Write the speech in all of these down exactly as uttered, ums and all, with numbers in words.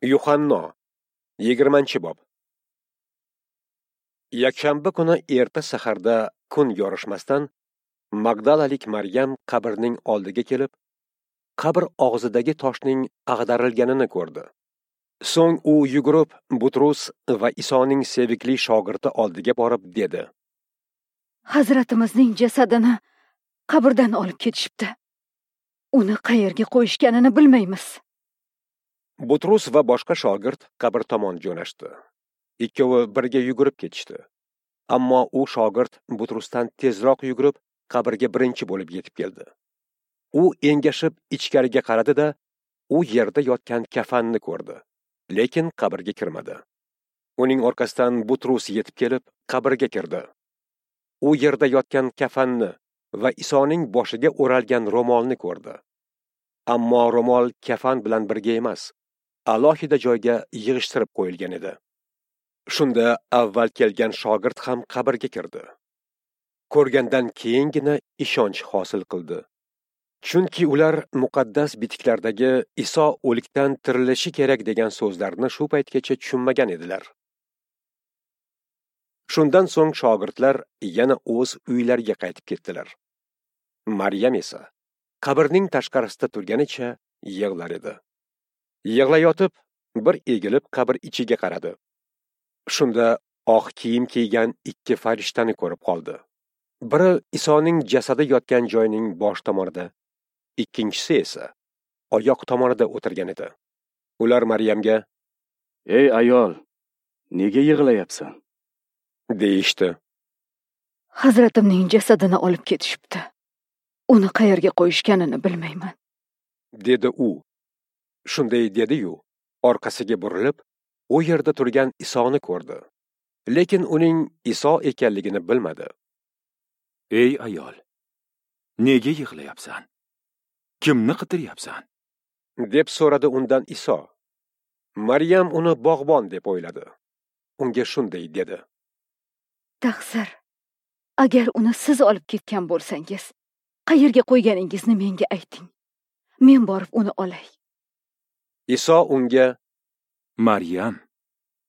Yuhanno, yigirmanchi bob. Yakshanba kuni erta saharda kun yorishmasdan Magdalalik Maryam qabrning oldiga kelib, qabr og'zidagi toshning ag'darilganini ko'rdi. So'ng u yugurib Butrus va Isoning sevikli shogirdi oldiga borib dedi: Hazratimizning jasadini qabrdan olib ketishibdi. Uni qayerga qo'yishganini bilmaymiz. Butrus va boshqa shogird qabr tomon jo'nashdi. Ikkovi birga yugurib ketishdi. Ammo u shogird Butrusdan tezroq yugurib qabrga birinchi bo'lib yetib keldi. U engashib ichkariga qaradi-da, u yerda yotgan kafanni ko'rdi, lekin qabrga kirmadi. Uning orqasidan Butrus yetib kelib qabrga kirdi. U yerda yotgan kafanni va Isoning boshiga o'ralgan ro'molni ko'rdi. Ammo ro'mol kafan bilan birga emas, alohida joyga yig'ishtirib qo'yilgan edi. Shunda avval kelgan shogird ham qabrga kirdi. Ko'rgandan keyingina ishonch hosil qildi. Chunki ular muqaddas bitiklardagi Iso o'likdan tirilishi kerak degan so'zlarni shu paytgacha tushunmagan edilar. Shundan so'ng shogirdlar yana o'z uylariga qaytib ketdilar. Maryam esa qabrning tashqarisida turganicha yig'lar edi. Yig'layotib, bir egilib qabr ichiga qaradi. Shunda oq kiyim kiygan ikki farishtani ko'rib qoldi. Biri Isoning jasadi yotgan joyning bosh tomonida, ikkinchisi esa oyoq tomonida o'tirgan edi. Ular Maryamga: "Ey ayol, nega yig'layapsan?" deyishdi. Hazratimning jasadini olib ketishibdi. Uni qayerga qo'yishganini bilmayman, dedi u. Shunday dedi-yu, orqasiga burilib, u yerda turgan Isoni ko'rdi. Lekin uning Iso ekanligini bilmadi. Ey ayol, nega yig'layapsan? Kimni qidiryapsan? deb so'radi undan Iso. Maryam uni bog'bon deb o'yladi. Unga shunday dedi: Taqsir, agar uni siz olib ketgan bo'lsangiz, qayerga qo'yganingizni menga ayting. Men borib uni olay. Iso unga: Maryam,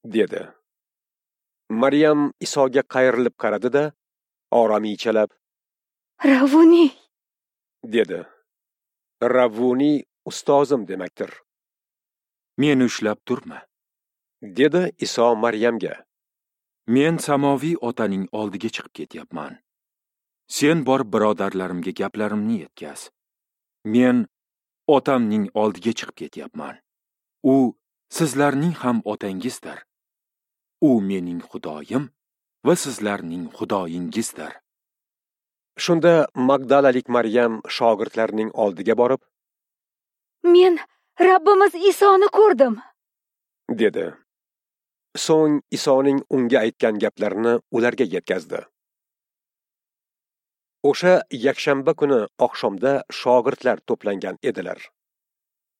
dedi. Maryam Isoga qayrilib qaradi-da, oromiychalab: Ravuni, dedi. Ravuni ustozim demakdir. Meni ushlab turma, dedi Iso Maryamga. Men samoviy otaning oldiga chiqib ketyapman. Sen borib birodarlarimga gaplarimni yetkaz. Men otamning oldiga chiqib ketyapman. U sizlarning ham otangizdir. U mening Xudoyim va sizlarning Xudoyingizdir. Shunda Magdalalik Maryam shogirdlarning oldiga borib, Men Rabbimiz Isoni ko'rdim, dedi. So'ng Isoning unga aytgan gaplarini ularga yetkazdi. O'sha yakshanba kuni oqshomda shogirdlar to'plangan edilar.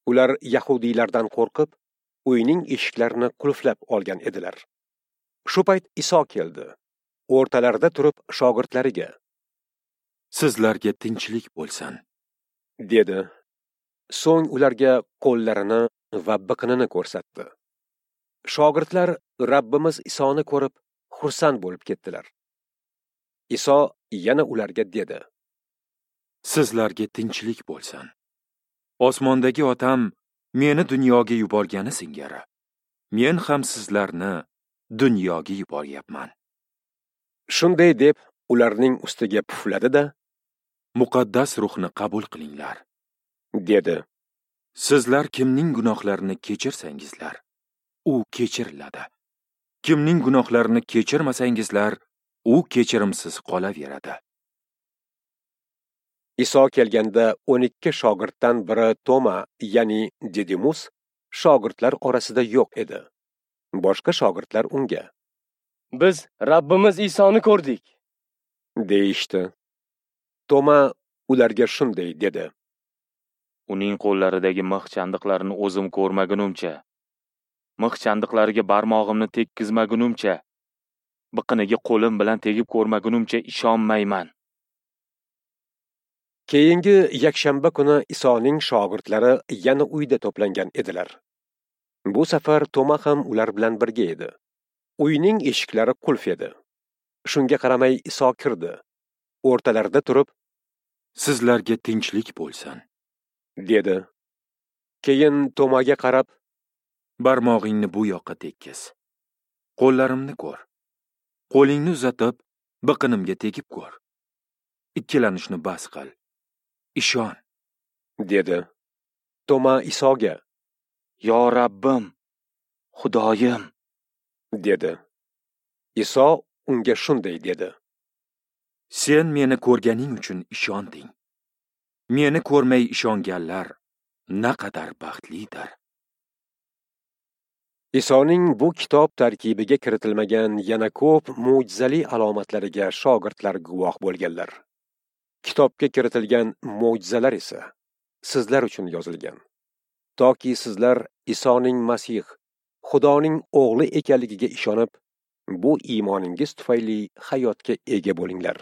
Ular yahudiylardan qo'rqib, uyning eshiklarini qulflab olgan edilar. Shu payt Iso keldi. O'rtalarida turib shogirdlariga: Sizlarga tinchlik bo'lsin, dedi. So'ng ularga qo'llarini va biqinini ko'rsatdi. Shogirdlar Rabbimiz Isoni ko'rib xursand bo'lib ketdilar. Iso yana ularga dedi: Sizlarga tinchlik bo'lsin. Osmondagi otam meni dunyoga yuborgani singari, men ham sizlarni dunyoga yuboryapman. Shunday deb ularning ustiga pufladi-da, Muqaddas ruhni qabul qilinglar, dedi. Sizlar kimning gunohlarini kechirsangizlar, u kechiriladi. Kimning gunohlarini kechirmasangizlar, u kechirimsiz qolaveradi. Iso kelganda o'n ikki shogirddan biri Toma, ya'ni Didimus, shogirdlar orasida yo'q edi. Boshqa shogirdlar unga: Biz Rabbimiz Isoni ko'rdik, deyishdi. Toma ularga shunday dedi: Uning qo'llaridagi mix chandiqlarini o'zim ko'rmagunimcha, mix chandiqlariga barmog'imni tekkizmagunimcha, biqiniga qo'lim bilan tegib ko'rmagunimcha ishonmayman. Keyingi yakshanba kuni Isoning shogirdlari yana uyda to'plangan edilar. Bu safar Toma ham ular bilan birga edi. Uyning eshiklari qulf edi. Shunga qaramay Iso kirdi. O'rtalarida turib, "Sizlarga tinchlik bo'lsin", dedi. Keyin Tomaga qarab, "Barmog'ingni bu yoqqa tekkiz. Qo'llarimni ko'r. Qo'lingni uzatib, biqinimga tegib ko'r. Ikkilanishni bas qil. Ishon", dedi. Toma Isoga, "Yo Rabbim, Xudoyim", dedi. Iso unga shunday dedi: "Sen meni ko'rganing uchun ishonding. Meni ko'rmay ishonganlar naqadar baxtlidir." Isoning bu kitob tarkibiga kiritilmagan yana ko'p mo'jizali alomatlariga shogirdlar guvoh bo'lganlar. Kitobga kiritilgan mo'jizalar esa sizlar uchun yozilgan, toki sizlar Isoning Masih, Xudoning o'g'li ekanligiga ishonib, bu iymoningiz tufayli hayotga ega bo'linglar.